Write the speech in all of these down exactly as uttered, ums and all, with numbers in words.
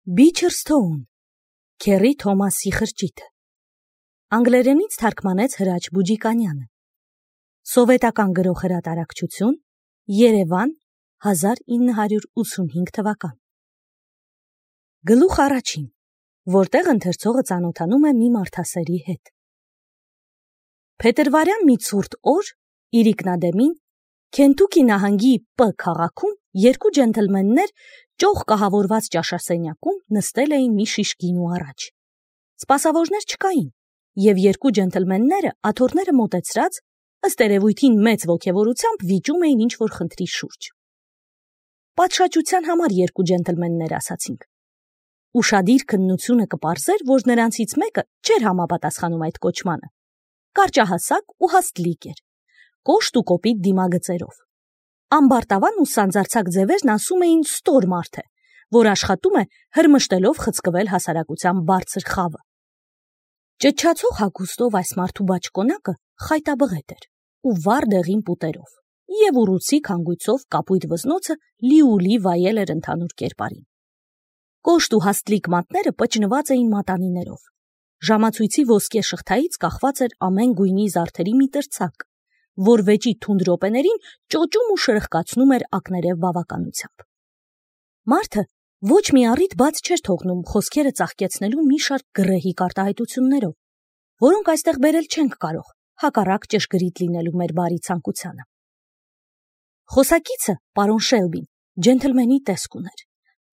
Բիչերսթոուն, Քերի Թոմասի խրճիթը, անգլերենից թարգմանեց Հրաչ Բուջիկանյանը, սովետական գրող հրատարակչություն, Երևան, հազար ինը հարյուր ութսունհինգ թվական։ Գլուխ առաջին, որտեղ ընթերցողը ծանոթանում է մի մարդասերի հետ։ Փետրվարյան մի ցուրտ օր իր ինքնադեմին Քենթուքի նահանգի Պ քաղաքում երկու ջենթլմեններ ճոխ կահավորված ճաշասենյակում նստել էին մի շիշ գինու առաջ։ Սպասավորներ չկային, եւ երկու ջենթլմենները աթոռները մոտեցրած, ըստ երևույթին մեծ ոգևորությամբ վիճում էին ինչ-որ խնդրի շուրջ։ Պատշաճության համար երկու ջենթլմեններ ասացինք։ Ուշադիր քննությունը կպարզեր, որ նրանցից մեկը չէր համապատասխանում այդ կոչմանը։ Կարճահասակ ու հաստլիկ էր, կոշտ ու կոպիտ դիմագծերով։ Ամբարտավան ու սանձարձակ ձևերն ասում էին ստոր մարդ է, որ աշխատում է հրմշտելով խցկվել հասարակության բարձր խավը։ Ճչացող հագուստով այս մարդու բաճկոնակը խայտաբղետ էր ու վառ դեղին պուտերով, եւ ուռուցիկ հանգույցով կապույտ վզնոցը լիուլի վայել էր ընդհանուր կերպարին։ Կոշտ ու հաստլիկ մատները պճնված էին մատանիներով։ Ժամացույցի ոսկե շղթայից կախված էր ամեն գույնի զարդերի մի տրցակ, որ վեճի թունդ րոպեներին ճոճում ու շրխկացնում էր ակներև բավականությամբ։ Մարդը ոչ մի առիթ բաց չէր թողնում խոսքերը ծաղկեցնելու մի շարք գրեհիկ արտահայտություններով, որոնք այստեղ բերել չենք կարող, հակառակ ճշգրիտ լինելու մեր բարի ցանկությանը։ Խոսակիցը, պարոն Շելբին, ջենթլմենի տեսք ուներ։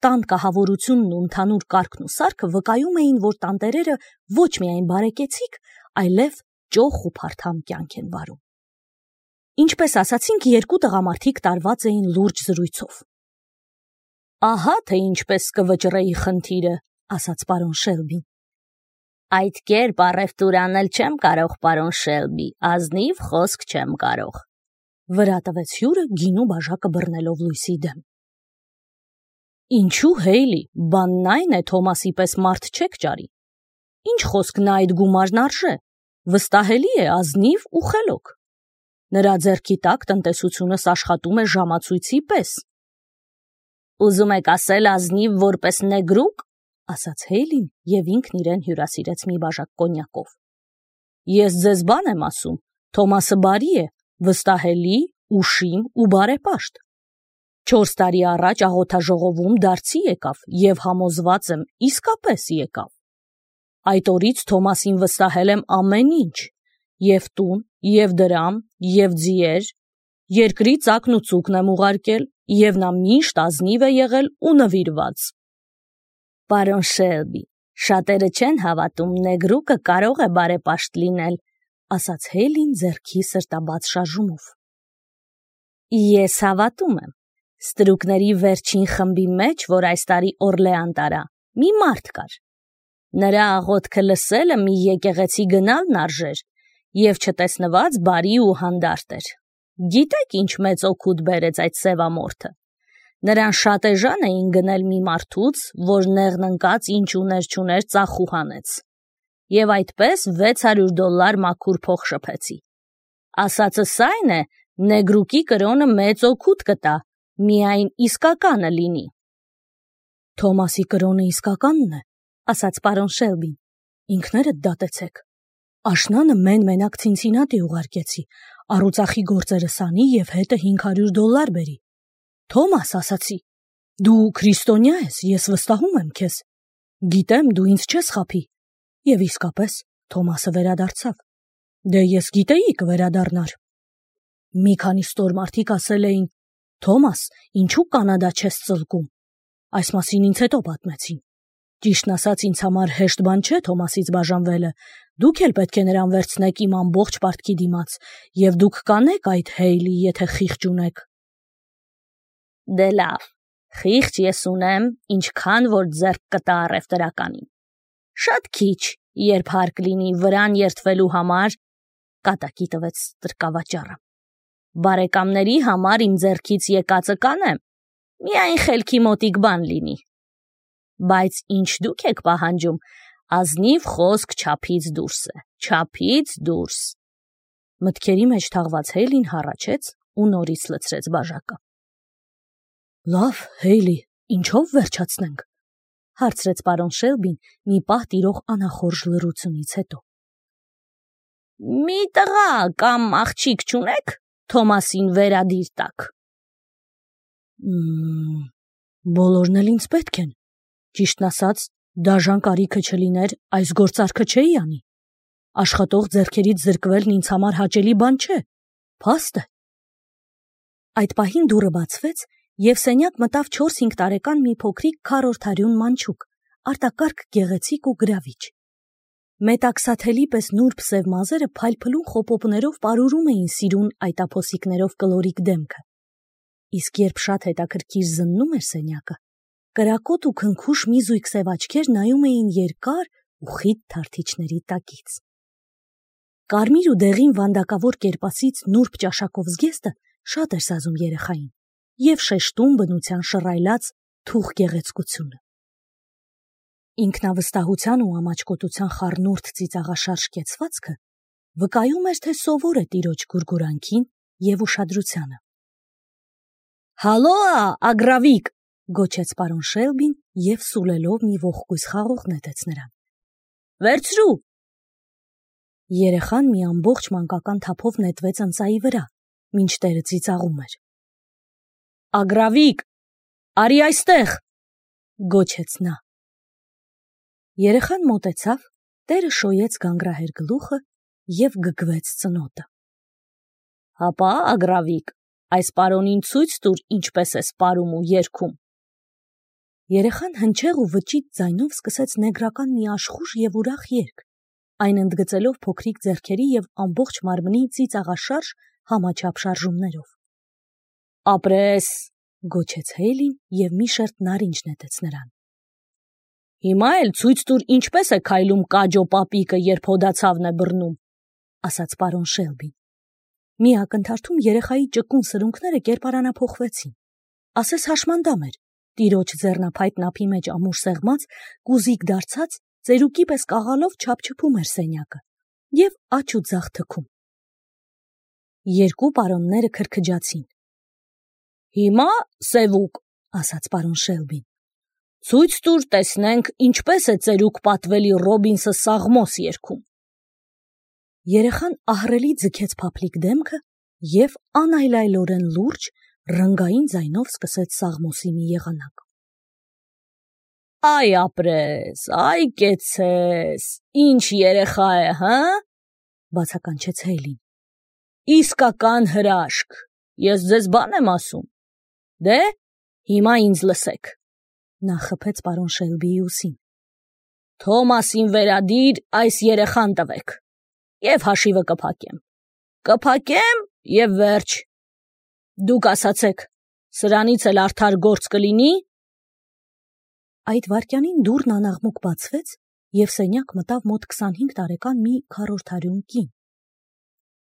Տան կահավորությունն ու ընդհանուր կարգն ու սարքը վկայում էին, որ տանտերերը ոչ միայն բարեկեցիկ, այլև ճոխ ու փարթամ կյանք են վարում։ Ինչպես ասացինք, երկու տղամարդիկ տարված էին լուրջ զրույցով։ Ահա թե ինչպես կվճռեի խնդիրը, ասաց պարոն Շելբին։ Այդ կերպ առևտուր անել չեմ կարող, պարոն Շելբի, ազնիվ խոսք չեմ կարող, վրա տվեց հյուրը գինու բաժակը բռնելով լույսի դեմ։ Ինչու Հեյլի, բանն այն է, Թոմասի պես մարդ չեք ճարի։ Ինչ խոսք նա այդ գումարն արժե, վստահելի է, ազնիվ ու խելոք։ Նրա ձեռքի տակ տնտեսությունս աշխատում է ժամացույցի պես։ Ուզում եք ասել ազնիվ որպես նեգրուկ, ասաց Հեյլին եւ ինքն իրեն հյուրասիրեց մի բաժակ կոնյակով։ Ես ձեզ բան եմ ասում, Թոմասը բարի է, վստահելի, ուշիմ ու բարեպաշտ։ Չորս տարի առաջ աղոթաժողովում դարձի եկավ եւ համոզված եմ իսկապես եկավ։ Այդ օրից Թոմասին վստահել եմ ամեն ինչ, եւ տուն, եւ դրամ, եւ ձիեր, երկրի ծակն ու ծուկն եմ ուղարկել, եւ նա միշտ ազնիվ է եղել ու նվիրված։ Պարոն Շելբի, շատերը չեն հավատում նեգրուկը կարող է բարեպաշտ լինել, ասաց Հեյլին ձեռքի սրտաբաց շարժումով։ Ես հավատում եմ։ Ստրուկների վերջին խմբի մեջ, որ այս տարի Օրլեան տարա, մի մարդ կար։ Նրա աղոթքը լսելը մի եկեղեցի գնալն արժեր, եւ չտեսնված բարի ու հանդարտ էր։ Գիտեք ինչ մեծ օգուտ բերեց այդ սևամորթը։ Նրան շատ էժան էին գնել մի մարդուց, որ նեղն ընկած ինչ ուներ չուներ ծախու հանեց։ Եվ այդպես վեց հարյուր դոլար մաքուր փող շփեցի։ Ասածս այն է, նեգրուկի կրոնը մեծ օգուտ կտա, միայն իսկականը լինի։ Թոմասի կրոնը իսկականն է, ասաց պարոն Շելբին, ինքներդ դատեցեք։ Աշնանը մեն մենակ Ցինցինատի ուղարկեցի, առուծախի գործերը սանի եւ հետը հինգ հարյուր դոլար բերի։ Թոմաս, ասացի, դու քրիստոնյա ես, ես վստահում եմ քեզ։ Գիտեմ, դու ինձ չես խաբի։ Եվ իսկապես Թոմասը վերադարձավ։ Դե ես գիտեի կվերադառնար։ Մի քանի ստոր մարդիկ ասել էին. Թոմաս, ինչու Կանադա չես ծլկում։ Այս մասին ինձ հետո պատմեցին։ Ճիշտն ասած, ինձ համար հեշտ բան չէ Թոմասից բաժանվելը։ Դուք էլ պետք է նրան վերցնեք իմ ամբողջ պարտքի դիմաց, եւ դուք կանեք այդ Հեյլի, եթե խիղճ ունեք։ Դե լավ, խիղճ ես ունեմ, ինչքան որ ձեռք կտա առևտրականին։ Շատ քիչ, երբ հարկ լինի վրան երթվելու համար, կատակի տվեց տրկավաճառը։ Բարեկամների համար իմ ձեռքից եկածը կանեմ, միայն խելքի մոտիկ բան լինի։ Բայց ինչ դուք եք պահանջում, ազնիվ խոսք չափից դուրս է, չափից դուրս։ Մտքերի մեջ թաղված Հեյլին հառաչեց ու նորից լցրեց բաժակը։ Լավ, Հեյլի, ինչով վերջացնենք։ հարցրեց պարոն Շելբին մի պահ տիրող անախորժ լռությունից հետո։ Մի տղա կամ աղջիկ չունեք Թոմասին վերադիր տակ։ Բոլորն էլ ինձ պետք են, ճիշտն ասած, դաժան կարիքը չլիներ, այս գործարքը չէի անի։ Աշխատող ձեռքերից զրկվելն ինձ համար հաճելի բան չէ, փաստ է։ Այդ պահին դուռը բացվեց, և սենյակ մտավ չորս-հինգ տարեկան մի փոքրիկ քառորդարյուն մանչուկ, արտակարգ գեղեցիկ ու գրավիչ։ Մետաքսաթելի պես նուրբ սև մազերը փայլփլուն խոպոպներով պարուրում էին սիրուն այտափոսիկներով կլորիկ դեմքը։ Իսկ երբ շատ հետաքրքիր զննում էր սենյակը, կրակոտ ու քնքուշ մի զույգ սև աչքեր նայում էին երկար ու խիտ թարթիչների տակից։ Կարմիր ու դեղին վանդակավոր կերպասից նուրբ ճաշակով զգեստը շատ էր սազում երեխային և շեշտում բնության շռայլած թուխ գեղեցկությունը։ Ինքնավստահության ու ամաչկոտության խառնուրդ ծիծաղաշարժ կեցվածքը վկայում էր, թե սովոր է տիրոջ գուրգուրանքին և ուշադրությանը։ Հալո, ագրավիկ, գոչեց պարոն Շելբին և սուլելով մի ողկույզ խաղող նետեց նրան։ Վերցրու։ Երեխան մի ամբողջ մանկական թափով նետվեց ընծայի վրա, մինչ տերը ծիծաղում էր։ Ագրավիկ, արի այստեղ, գոչեց նա։ Երեխան մոտեցավ, տերը շոյեց գանգրահեր գլուխը և գգվեց ծնոտը։ Հապա, ագրավիկ, այս պարոնին ցույց տուր, ինչպես ես պարում ու երգում։ Երեխան հնչեղ ու վճիտ ձայնով սկսեց նեգրական մի աշխուժ և ուրախ երգ, այն ընդգծելով փոքրիկ ձեռքերի և ամբողջ մարմնի ծիծաղաշարժ համաչափ շարժումներով։ Ապրես, գոչեց Հեյլին և մի շերտ նարինջ նետեց նրան։ Հիմա էլ ցույց տուր, ինչպես է քայլում Կաջո պապիկը, երբ հոդացավն է բռնում, ասաց պարոն Շելբին։ Մի ակնթարթում երեխայի ճկուն սրունքները կերպարանափոխվեցին։ Ասես հաշմանդամ էր, տիրոջ ձեռնափայտ նափի մեջ ամուր սեղմած, կուզիկ դարձած, ծերուկի պես կաղալով չափչփում էր սենյակը և աջ ու ձախ թքում։ Երկու պարոնները քրքջացին։ Հիմա, սևուկ, ասաց պարոն Շելբին, ցույց տուր, տեսնենք, ինչպես է ծերուկ պատվելի Ռոբինսը Սաղմոս երգում։ Երեխան ահռելի ձգեց փափլիկ դեմքը և անայլայլորեն լուրջ, ռնգային ձայնով սկսեց Սաղմոսի մի եղանակ։ Այ ապրես, այ կեցցես, ինչ երեխա է, հը՞, բացականչեց Հեյլին։ Իսկական հրաշք, ես ձեզ բան եմ ասում։ Դե, հիմա ինձ լսեք, նա խփեց պարոն Շելբիի ուսին։ Թոմասին վերադիր այս երեխան տվեք, և հաշիվը կփակեմ։ Կփակեմ և վերջ։ Դուք ասացեք, սրանից էլ արդար գործ կլինի։ Այդ վայրկյանին դուռն անաղմուկ բացվեց, և սենյակ մտավ մոտ քսանհինգ տարեկան մի քառորդարյուն կին։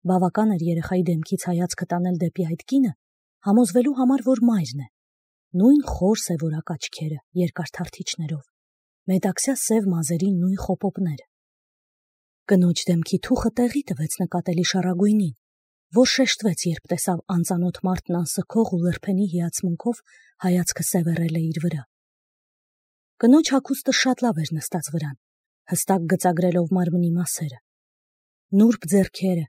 Բավական էր երեխայի դեմքից հայացքը տանել դեպի այդ կինը, համոզվելու համար, որ մայրն է։ Նույն խոր սևորակ աչքերը, երկար թարթիչներով, մետաքսյա սև մազերի նույն խոպոպները։ Կնոջ դեմքի թուխը տեղի տվեց նկատելի շառագույնին, որ շեշտվեց, երբ տեսավ անծանոթ մարդն անսքող ու լրփենի հիացմունքով հայացքը սևեռել է իր վրա։ Կնոջ հագուստը շատ լավ էր նստած վրան, հստակ գծագրելով մարմնի մասերը։ Նուրբ ձեռքերը,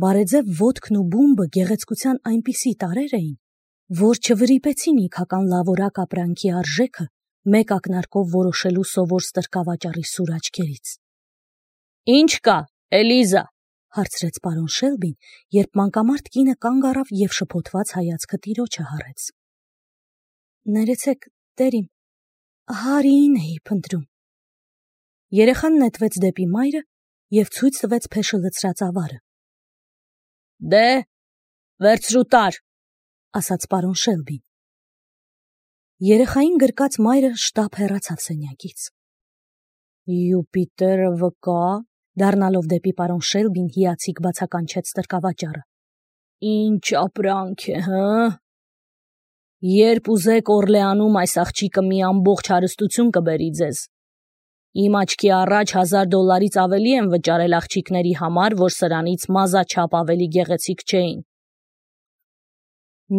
բարեձև ոտքն ու բումբը գեղեցկության այնպիսի տարրեր էին, որ չվրիպեցին իգական լավորակ ապրանքի արժեքը մեկ ակնարկով որոշելու սովոր ստրկավաճառի սուր աչքերից։ Ինչ կա, Էլիզա, հարցրեց պարոն Շելբին, երբ մանկամարդ կինը կանգ առավ և շփոթված հայացքը տիրոջը հառեց։ Ներեցեք, տերիմ, Հարիին էի փնտրում։ Երեխան նետվեց դեպի մայրը և ցույց տվեց փեշը լցրած ավարը։ Դե, վերցրու տար, ասաց պարոն Շելբին։ Երեխային գրկած մայրը շտապ հեռացավ սենյակից։ Յուպիտերը վկա, դառնալով դեպի պարոն Շելբին հիացիկ բացականչեց ստրկավաճառը։ Ինչ ապրանք է, հը։ Երբ ուզեք Օրլեանում այս աղջիկը մի ամբողջ հարստություն կբերի ձեզ։ Իմ աչքի առաջ հազար դոլարից ավելի են վճարել աղջիկների համար, որ սրանից մազաչափ ավելի գեղեցիկ չէին։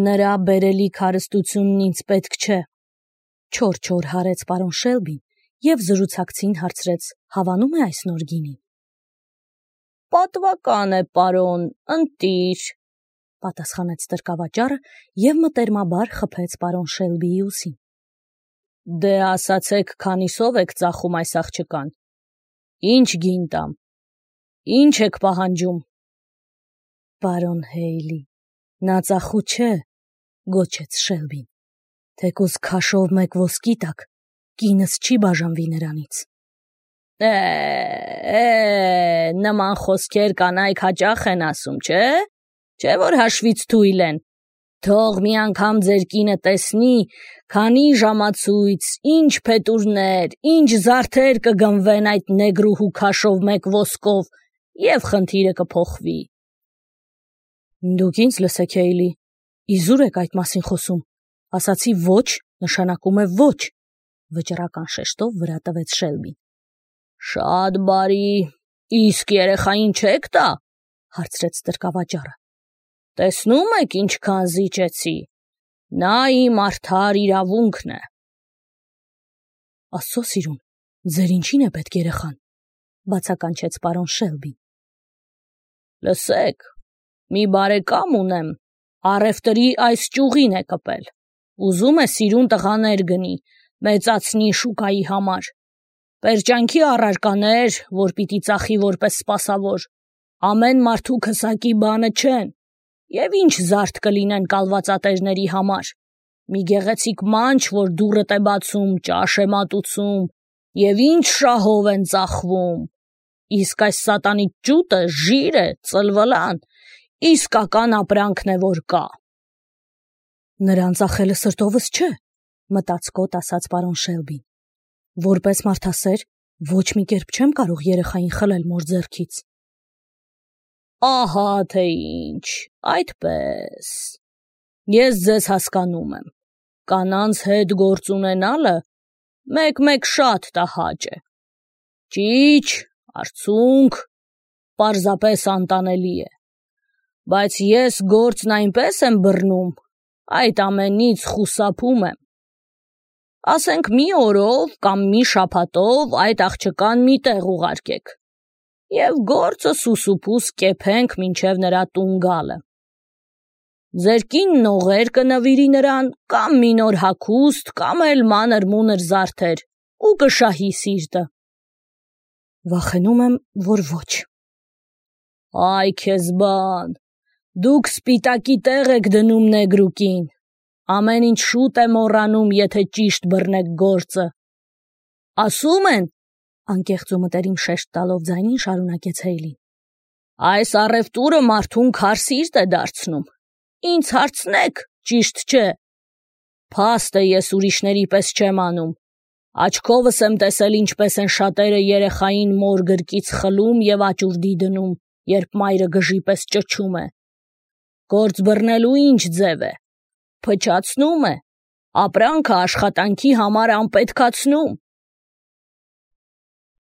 Նրա բերելիք հարստությունն ինձ պետք չէ, չոր-չոր հարեց պարոն Շելբին և զրուցակցին հարցրեց. հավանում է այս նոր գինին։ Պատվական է, պարոն, ընտիր, պատասխանեց տրկավաճառը և մտերմաբար խփեց պարոն Շելբիի ուսին։ Դե ասացեք, քանիսով եք ծախում այս աղջկան։ Ինչ գին տամ։ Ինչ եք պահանջում։ Պարոն Հեյլի, նա ծախու չէ, գոչեց Շելբին։ Թեկուզ քաշով մեկ ոսկի տակ, կինս չի բաժանվի նրանից։ Է, է, նման խոսքեր կանայք հաճախ են ասում, չէ՞, չէ՞ որ հաշվից թույլ են։ Թող մի անգամ ձեր կինը տեսնի, քանի ժամացույց, ինչ փետուրներ, ինչ զարդեր կգնվեն այդ նեգրուհու քաշով մեկ ոսկով, և խնդիրը կփոխվի։ Դուք ինձ լսեք, Հեյլի, իզուր եք այդ մասին խոսում։ Ասացի ոչ, նշանակում է ոչ, վճռական շեշտով վրա տվեց Շելբին։ Շատ բարի, իսկ երեխային չեք տա, հարցրեց տրկավաճառը։ Տեսնում եք ինչքան զիջեցի, նա իմ արդար իրավունքն է։ Աստծո սիրուն, ձեր ինչին է պետք երեխան, բացականչեց պարոն Շելբին։ Լսեք, մի բարեկամ ունեմ, առևտրի այս ճյուղին է կպել, ուզում է սիրուն տղաներ գնի, մեծացնի շուկայի համար, պերճանքի առարկաներ, որ պիտի ծախի որպես սպասավոր, ամեն մարդու քսակի բանը չեն, և ինչ զարդ կլինեն կալվածատերների համար, մի գեղեցիկ մանչ, որ դուռդ է բացում, ճաշ է մատուցում, և ինչ շահով են ծախվում, իսկ այս սատանիկ ջուտը ժիր է, ծլվլան, իսկական ապրանքն է, որ կա։ Նրան ծախելը սրտովս չէ, մտածկոտ ասաց պարոն Շելբին։ Որպես մարդասեր, ոչ մի կերպ չեմ կարող երեխային խլել մոր ձեռքից։ Ահա թե ինչ, այդպես։ Ես ձեզ հասկանում եմ։ Կանանց հետ գործ ունենալը մեկ-մեկ շատ տհաճ է։ Ճիչ, արցունք, պարզապես անտանելի է։ Բայց ես գործն այնպես եմ բռնում, այդ ամենից խուսափում եմ։ Ասենք մի օրով կամ մի շաբաթով այդ աղջկան մի տեղ ուղարկեք, և գործը սուսուփուս կեփենք մինչև նրա տուն գալը։ Ձեր կինն օղեր կնվիրի նրան, կամ մի նոր հագուստ, կամ էլ մանր-մունր զարդեր, ու կշահի սիրտը։ Վախենում եմ, որ ոչ։ Այ քեզ բան, դուք սպիտակի տեղ եք դնում նեգրուկին, ամեն ինչ շուտ է մոռանում, եթե ճիշտ բռնեք գործը։ Ասում են, անկեղծ ու մտերիմ շեշտ տալով ձայնին շարունակեց Հեյլին, այս առևտուրը մարդուն քար սիրտ է դարձնում։ Ինձ հարցնեք, ճիշտ չէ։ Փաստ է, ես ուրիշների պես չեմ անում։ Աչքովս եմ տեսել, ինչպես են շատերը երեխային մոր գրկից խլում և աճուրդի դնում, երբ մայրը գժի պես ճչում է։ Գործ բռնելու ինչ ձև է։ Փչացնում է, ապրանքը աշխատանքի համար անպետքացնում։